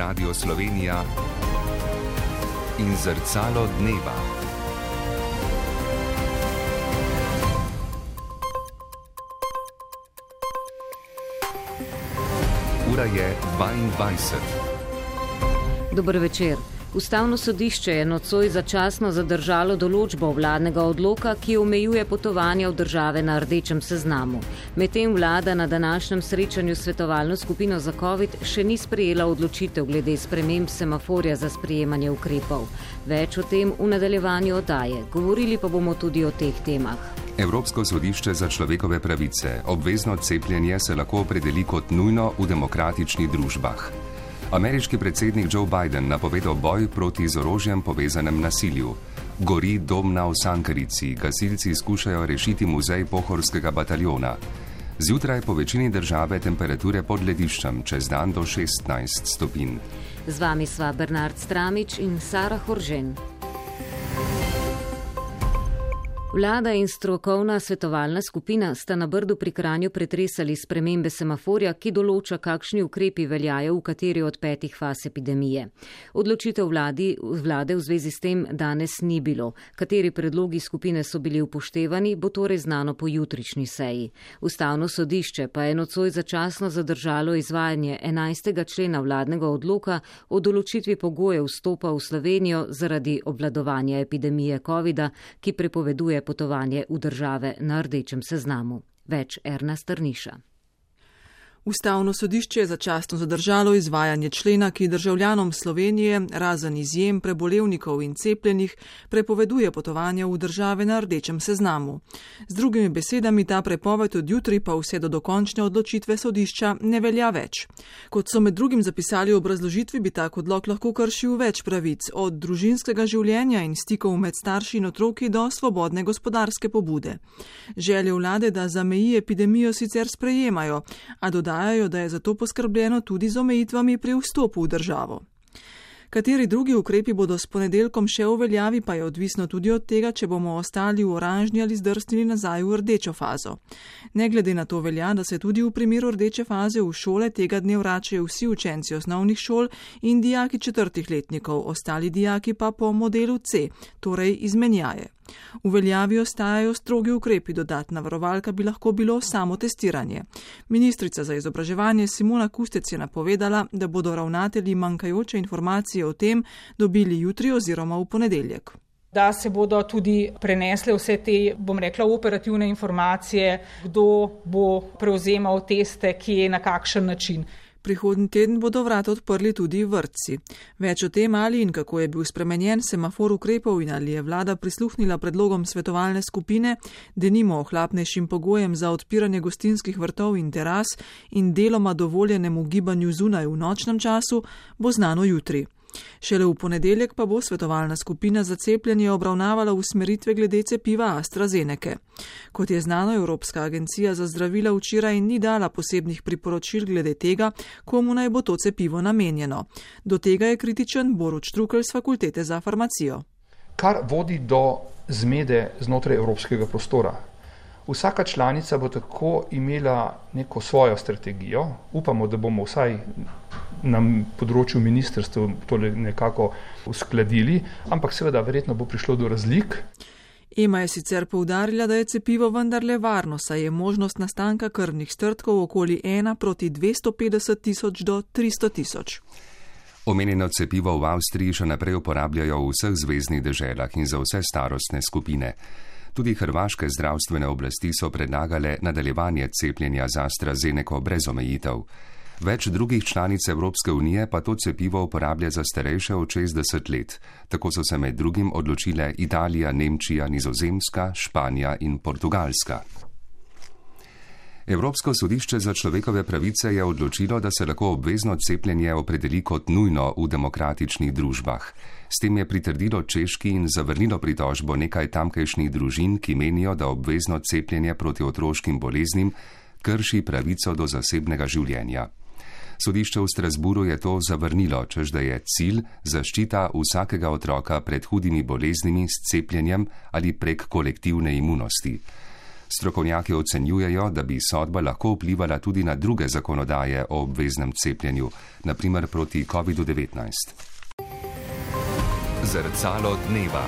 Radio Slovenija in Zrcalo dneva. Ura je 22. Dober večer. Ustavno sodišče je nocoj začasno zadržalo določbo vladnega odloka, ki omejuje potovanja v države na rdečem seznamu. Medtem vlada na današnjem srečanju s svetovalno skupino za COVID še ni sprejela odločitev glede sprememb semaforja za sprejemanje ukrepov. Več o tem v nadaljevanju oddaje. Govorili pa bomo tudi o teh temah. Evropsko sodišče za človekove pravice. Obvezno cepljenje se lahko opredeli kot nujno v demokratičnih družbah. Ameriški predsednik Joe Biden napovedal boj proti z orožjem povezanem nasilju. Gori dom na Osankarici, gasilci skušajo rešiti muzej pohorskega bataljona. Zjutraj po večini države temperature pod lediščem, čez dan do 16 stopinj. Z vami sva Bernard Stramič in Sara Horžen. Vlada in strokovna svetovalna skupina sta na Brdu pri Kranju pretresali spremembe semaforja, ki določa, kakšni ukrepi veljajo v kateri od 5 faz epidemije. Odločitev vlade v zvezi s tem danes ni bilo. Kateri predlogi skupine so bili upoštevani, bo torej znano po jutrišnji seji. Ustavno sodišče pa je nocoj začasno zadržalo izvajanje 11. člena vladnega odloka o določitvi pogojev vstopa v Slovenijo zaradi obvladovanja epidemije covida, ki prepoveduje potovanje v države na rdečem seznamu. Več Erna Strniša. Ustavno sodišče je začasno zadržalo izvajanje člena, ki državljanom Slovenije, razen izjem prebolevnikov in cepljenih, prepoveduje potovanje v države na rdečem seznamu. Z drugimi besedami, ta prepoved od jutri pa vse do dokončne odločitve sodišča ne velja več. Kot so med drugim zapisali v obrazložitvi, bi tak odlok lahko kršil več pravic, od družinskega življenja in stikov med starši in otroki do svobodne gospodarske pobude. Želje vlade, da zameji epidemijo, sicer sprejemajo, a dodajajo, da je zato poskrbljeno tudi z omejitvami pri vstopu v državo. Kateri drugi ukrepi bodo s ponedeljkom še v veljavi, pa je odvisno tudi od tega, če bomo ostali v oranžni ali zdrsnili nazaj v rdečo fazo. Ne glede na to velja, da se tudi v primeru rdeče faze v šole tega dne vračajo vsi učenci osnovnih šol in dijaki 4. letnikov, ostali dijaki pa po modelu C, torej izmenjaje. V veljavi ostajajo strogi ukrepi, dodatna varovalka bi lahko bilo samo testiranje. Ministrica za izobraževanje Simona Kustec je napovedala, da bodo ravnatelji manjkajoče informacije o tem dobili jutri oziroma v ponedeljek. Da se bodo tudi prenesle vse te, operativne informacije, kdo bo prevzemal teste, kje, na kakšen način. Prihodnji teden bodo vrata odprli tudi vrtci. Več o tem, ali in kako je bil spremenjen semafor ukrepov in ali je vlada prisluhnila predlogom svetovalne skupine, denimo ohlapnejšim pogojem za odpiranje gostinskih vrtov in teras in deloma dovoljenemu gibanju zunaj v nočnem času, bo znano jutri. Šele v ponedeljek pa bo svetovalna skupina za cepljenje obravnavala usmeritve glede cepiva AstraZeneke. Kot je znano, Evropska agencija za zdravila včeraj ni dala posebnih priporočil glede tega, komu naj bo to cepivo namenjeno. Do tega je kritičen Borut Štrukelj z Fakultete za farmacijo. Kar vodi do zmede znotraj evropskega prostora. Vsaka članica bo tako imela neko svojo strategijo. Upamo, da bomo vsaj na področju ministrstva to nekako uskladili, ampak seveda verjetno bo prišlo do razlik. EMA je sicer poudarila, da je cepivo vendarle varno, saj je možnost nastanka krvnih strdkov okoli 1 proti 250 tisoč do 300 tisoč. Omenjeno cepivo v Avstriji še naprej uporabljajo v vseh zveznih deželah in za vse starostne skupine. Tudi hrvaške zdravstvene oblasti so predlagale nadaljevanje cepljenja z AstraZeneco brez omejitev. Več drugih članic Evropske unije pa to cepivo uporablja za starejše od 60 let. Tako so se med drugim odločile Italija, Nemčija, Nizozemska, Španija in Portugalska. Evropsko sodišče za človekove pravice je odločilo, da se lahko obvezno cepljenje opredeli kot nujno v demokratičnih družbah. S tem je pritrdilo Češki in zavrnilo pritožbo nekaj tamkajšnjih družin, ki menijo, da obvezno cepljenje proti otroškim boleznim krši pravico do zasebnega življenja. Sodišče v Strasburu je to zavrnilo, čež da je cilj zaščita vsakega otroka pred hudimi boleznimi s cepljenjem ali prek kolektivne imunosti. Strokovnjaki ocenjujejo, da bi sodba lahko vplivala tudi na druge zakonodaje o obveznem cepljenju, naprimer proti COVID-19. Zrcalo dneva.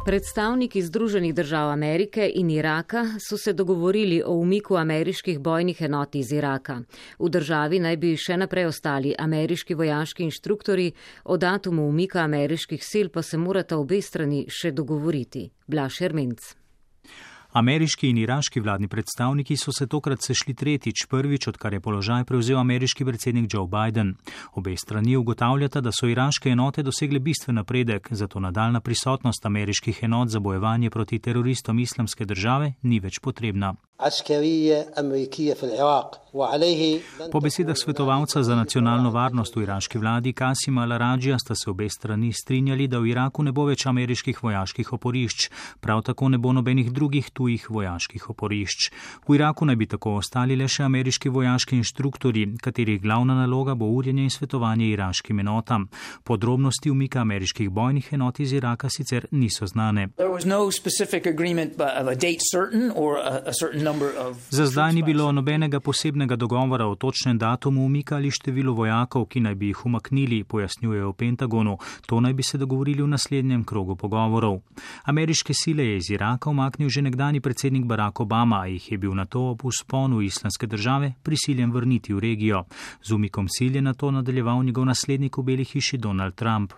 Predstavniki Združenih držav Amerike in Iraka so se dogovorili o umiku ameriških bojnih enot iz Iraka. V državi naj bi še naprej ostali ameriški vojaški inštruktori, o datumu umika ameriških sil pa se morata obe strani še dogovoriti. Blaž Ermenc. Ameriški in iraški vladni predstavniki so se tokrat sešli tretjič, prvič, odkar je položaj prevzel ameriški predsednik Joe Biden. Obe strani ugotavljata, da so iraške enote dosegle bistven napredek, zato nadaljna prisotnost ameriških enot za bojevanje proti teroristom Islamske države ni več potrebna. Po besedah svetovalca za nacionalno varnost v iraški vladi Kasima Al-Arajija sta se obe strani strinjali, da v Iraku ne bo več ameriških vojaških oporišč, prav tako ne bo nobenih drugih tujih vojaških oporišč. V Iraku naj bi tako ostali le še ameriški vojaški inštruktori, katerih glavna naloga bo urjenje in svetovanje iraškim enotam. Podrobnosti umika ameriških bojnih enot iz Iraka sicer niso znane. Za zdaj ni bilo nobenega posebnega dogovora o točnem datumu umika ali številu vojakov, ki naj bi jih umaknili, pojasnjujejo v Pentagonu. To naj bi se dogovorili v naslednjem krogu pogovorov. Ameriške sile je iz Iraka umaknil že nekdani predsednik Barack Obama, a jih je bil nato ob vzponu Islamske države prisiljen vrniti v regijo. Z umikom sil je nato nadaljeval njegov naslednik v Beli hiši Donald Trump.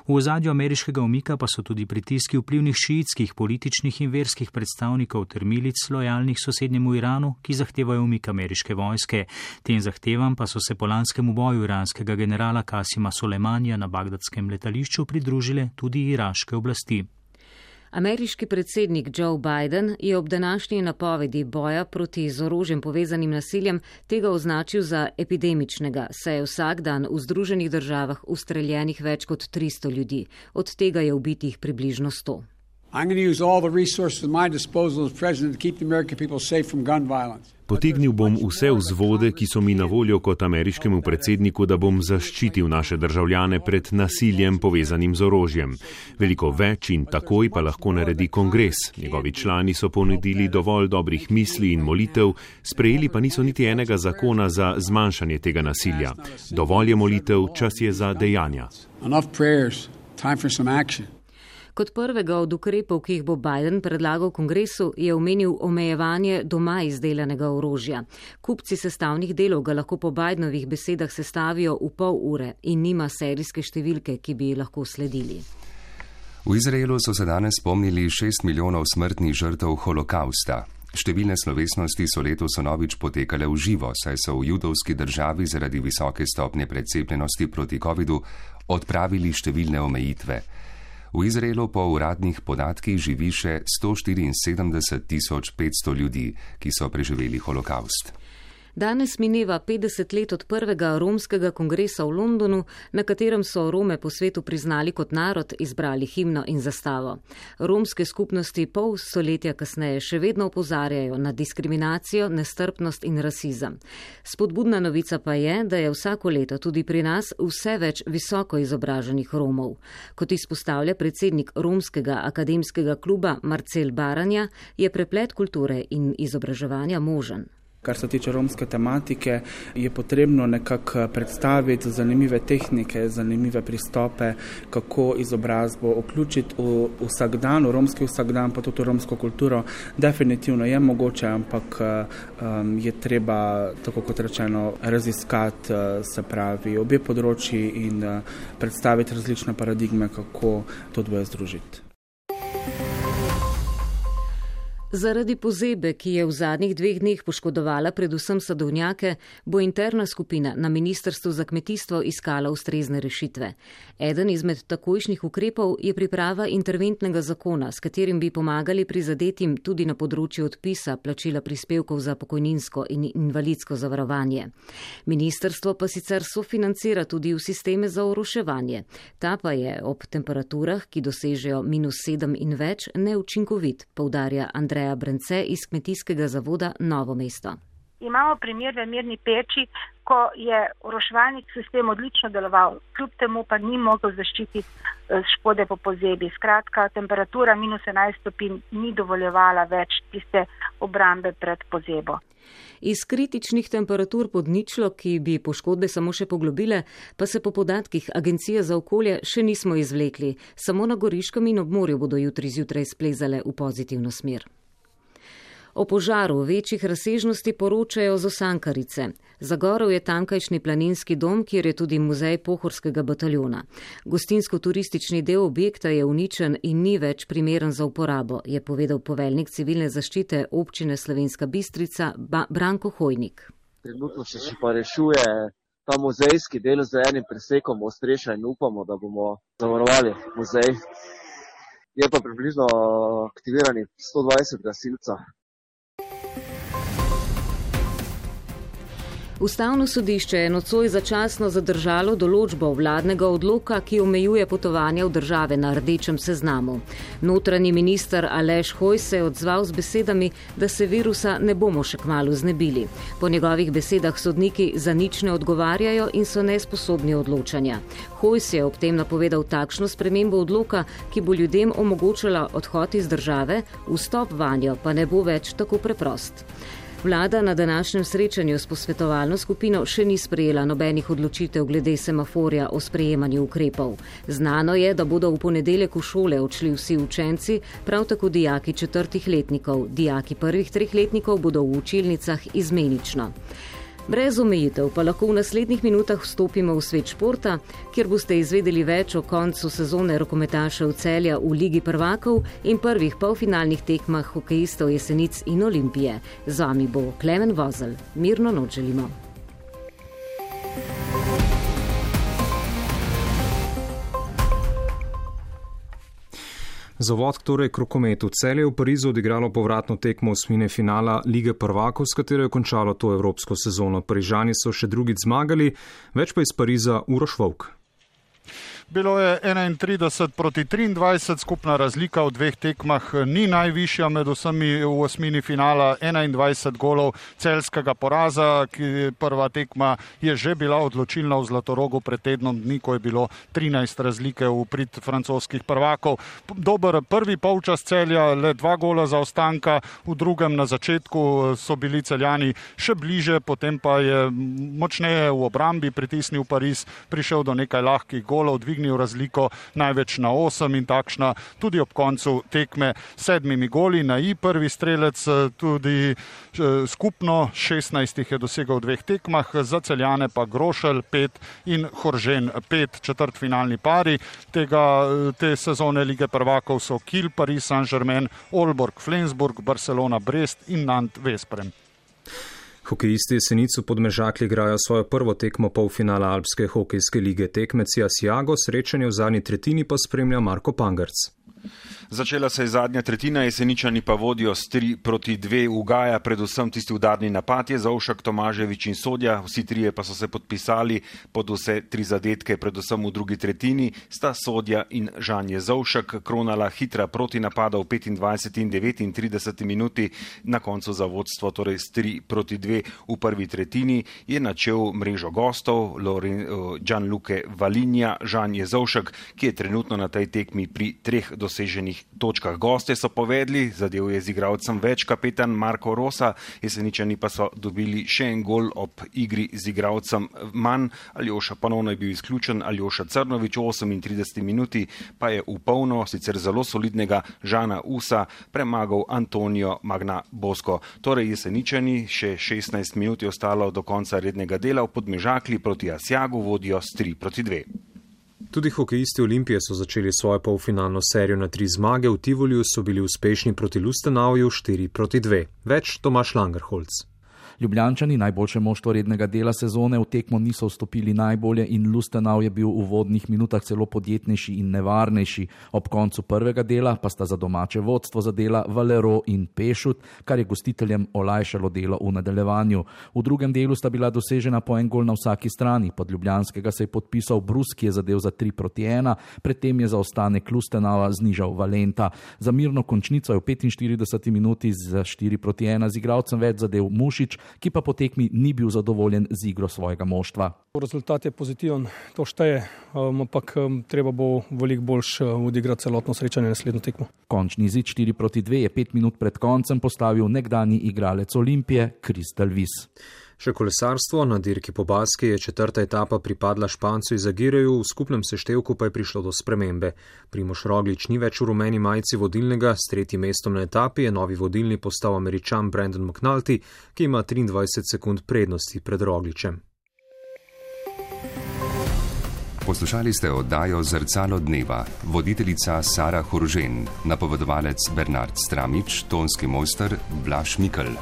V ozadju ameriškega umika pa so tudi pritiski vplivnih šiitskih, političnih in verskih predstavnikov ter milic lojalnih sosednjemu Iranu, ki zahtevajo umik ameriške vojske. Tem zahtevam pa so se po lanskem uboju iranskega generala Kasima Soleimanija na bagdadskem letališču pridružile tudi iraške oblasti. Ameriški predsednik Joe Biden je ob današnji napovedi boja proti z orožjem povezanim nasiljem tega označil za epidemičnega, saj je vsak dan v Združenih državah ustreljenih več kot 300 ljudi, od tega je ubitih približno 100. Potegnil bom vse vzvode, ki so mi na voljo kot ameriškemu predsedniku, da bom zaščitil naše državljane pred nasiljem povezanim z orožjem. Veliko več in takoj pa lahko naredi kongres. Njegovi člani so ponudili dovolj dobrih misli in molitev, sprejeli pa niso niti enega zakona za zmanjšanje tega nasilja. Dovolj je molitev, čas je za dejanja. Kot prvega od ukrepov, ki jih bo Biden predlagal kongresu, je omenil omejevanje doma izdelanega orožja. Kupci sestavnih delov ga lahko po Bidenovih besedah sestavijo v pol ure in nima serijske številke, ki bi ji lahko sledili. V Izraelu so se danes spomnili 6 milijonov smrtnih žrtev holokausta. Številne slovesnosti so letos vnovič potekale v živo, saj so v judovski državi zaradi visoke stopnje precepljenosti proti covidu odpravili številne omejitve. V Izraelu po uradnih podatkih živi še 174 500 ljudi, ki so preživeli holokaust. Danes mineva 50 let od prvega romskega kongresa v Londonu, na katerem so Rome po svetu priznali kot narod, izbrali himno in zastavo. Romske skupnosti pol stoletja kasneje še vedno opozarjajo na diskriminacijo, nestrpnost in rasizem. Spodbudna novica pa je, da je vsako leto tudi pri nas vse več visoko izobraženih Romov. Kot izpostavlja predsednik Romskega akademskega kluba Marcel Baranja, je preplet kulture in izobraževanja možen. Kar se tiče romske tematike, je potrebno nekako predstaviti zanimive tehnike, zanimive pristope, kako izobrazbo vključiti v vsakdan, v romski vsakdan, pa tudi v romsko kulturo. Definitivno je mogoče, ampak je treba, tako kot rečeno, raziskati, se pravi, obe področji in predstaviti različne paradigme, kako to dvoje združiti. Zaradi pozebe, ki je v zadnjih 2 dneh poškodovala predvsem sadovnjake, bo interna skupina na Ministrstvu za kmetijstvo iskala ustrezne rešitve. Eden izmed takojšnjih ukrepov je priprava interventnega zakona, s katerim bi pomagali prizadetim tudi na področju odpisa plačila prispevkov za pokojninsko in invalidsko zavarovanje. Ministrstvo pa sicer sofinancira tudi v sisteme za oroševanje. Ta pa je ob temperaturah, ki dosežejo -7 in več, neučinkovit, poudarja Andreja Brence iz Kmetijskega zavoda Novo mesto. Imamo primer v Mirni Peči, ko je oroševalni sistem odlično deloval, kljub temu pa ni mogel zaščititi škode po pozebi. Skratka, temperatura -11 stopinj ni dovoljevala več tiste obrambe pred pozebo. Iz kritičnih temperatur pod ničlo, ki bi poškodbe samo še poglobile, pa se po podatkih Agencije za okolje še nismo izvlekli. Samo na Goriškem in ob morju bodo jutri zjutraj splezale v pozitivno smer. O požaru večjih razsežnosti poročajo z Osankarice. Zagorel je tamkajšnji planinski dom, kjer je tudi muzej pohorskega bataljona. Gostinsko-turistični del objekta je uničen in ni več primeren za uporabo, je povedal poveljnik civilne zaščite občine Slovenska Bistrica Branko Hojnik. Trenutno se pa rešuje ta muzejski del z enim presekom Ostreša in upamo, da bomo zavarovali muzej. Je pa približno aktiviranih 120 gasilcev. Ustavno sodišče je nocoj začasno zadržalo določbo vladnega odloka, ki omejuje potovanja v države na rdečem seznamu. Notranji minister Aleš Hojs se je odzval z besedami, da se virusa ne bomo še kmalu znebili. Po njegovih besedah sodniki za nič ne odgovarjajo in so nesposobni odločanja. Hojs je ob tem napovedal takšno spremembo odloka, ki bo ljudem omogočala odhod iz države, vstop vanjo pa ne bo več tako preprost. Vlada na današnjem srečanju s posvetovalno skupino še ni sprejela nobenih odločitev glede semaforja o sprejemanju ukrepov. Znano je, da bodo v ponedeljek v šole odšli vsi učenci, prav tako dijaki 4. letnikov. Dijaki 1. 3. letnikov bodo v učilnicah izmenično. Brez omejitev pa lahko v naslednjih minutah vstopimo v svet športa, kjer boste izvedeli več o koncu sezone rokometašev Celja v Ligi prvakov in prvih polfinalnih tekmah hokejistov Jesenic in Olimpije. Z vami bo Klemen Vozelj. Mirno noč želimo. Za vod torej k rokometu. Celje je v Parizu odigralo povratno tekmo osmine finala Lige prvakov, s katero je končalo to evropsko sezono. Parižani so še drugič zmagali, več pa iz Pariza Uroš Vovk. Bilo je 31-23, skupna razlika v dveh tekmah ni najvišja med vsemi v osmini finala, 21 golov celjskega poraza, ki prva tekma je že bila odločilna v Zlatorogu pred tednom dni, ko je bilo 13 razlike v prid francoskih prvakov. Dober prvi polčas Celja, le 2 gola zaostanka, v drugem na začetku so bili Celjani še bliže, potem pa je močneje v obrambi pritisnil Pariz, prišel do nekaj lahkih golov, dvignil razliko največ na 8 in takšna tudi ob koncu tekme 7 goli na prvi strelec, tudi skupno 16 je dosegal v dveh tekmah, za Celjane pa Grošelj 5 in Horžen 5, četrtfinalni pari te sezone Lige prvakov so Kiel, Paris Saint-Germain, Aalborg, Flensburg, Barcelona, Brest in Nantes, Veszprém. Hokejisti Jesenic v Podmežakli igrajo svojo prvo tekmo polfinala Alpske hokejske lige. Tekmec Asiago, srečanje v zadnji tretjini pa spremlja Marko Pangerc. Začela se je zadnja tretjina, Jeseničani pa vodijo s 3-2, ugaja predvsem tisti udarni napad, je Zavšek, Tomaževič in Sodja, vsi trije pa so se podpisali pod vse 3 zadetke, predvsem v drugi tretjini sta Sodja in Žan Zavšek kronala hitra protinapada v 25 in 39 minuti, na koncu za vodstvo, torej s 3-2 v prvi tretjini je načel mrežo gostov Gianluca Valinja, Žan Zavšek, ki je trenutno na tej tekmi pri 3 doseženih točkah. Goste so povedli, zadev je z igralcem več, kapetan Marko Rosa, Jeseničani pa so dobili še en gol ob igri z igralcem manj. Aljoša ponovno je bil izključen, Aljoša Crnovič v 38 minuti pa je v polno, sicer zelo solidnega Žana Usa premagal Antonijo Magna Bosko. Torej Jeseničani, še 16 minut je ostalo do konca rednega dela, v Podmežakli proti Asiagu vodijo s 3-2. Tudi hokejisti Olimpije so začeli svojo polfinalno serijo na 3 zmage, v Tivoliju so bili uspešni proti Lustenauju 4-2. Več Tomaž Langerholz. Ljubljančani, najboljše moštvo rednega dela sezone, v tekmo niso vstopili najbolje in Lustenau je bil v uvodnih minutah celo podjetnejši in nevarnejši. Ob koncu prvega dela pa sta za domače vodstvo zadela Valero in Pešut, kar je gostiteljem olajšalo delo v nadaljevanju. V drugem delu sta bila dosežena po en gol na vsaki strani. Pod ljubljanskega se je podpisal Brus, ki je zadel za 3-1, predtem je zaostanek Lustenaua znižal Valenta. Za mirno končnico je v 45 minuti z 4-1 z igralcem več zadev Mušič, ki pa po tekmi ni bil zadovoljen z igro svojega moštva. Rezultat je pozitiven, to šteje, ampak treba bo veliko boljš odigrati celotno srečanje naslednjo tekmo. Končni izid 4-2 je 5 minut pred koncem postavil nekdanji igralec Olimpije Chris Dalvis. Še kolesarstvo, na dirki po Baski je 4. etapa pripadla Špancu iz Agireju, v skupnem seštevku pa je prišlo do spremembe. Primož Roglič ni več v rumeni majici vodilnega, s 3. mestom na etapi je novi vodilni postal Američan Brandon McNulty, ki ima 23 sekund prednosti pred Rogličem. Poslušali ste oddajo Zrcalo dneva, voditeljica Sara Horžen, napovedovalec Bernard Stramič, tonski mojster Blaž Mikl.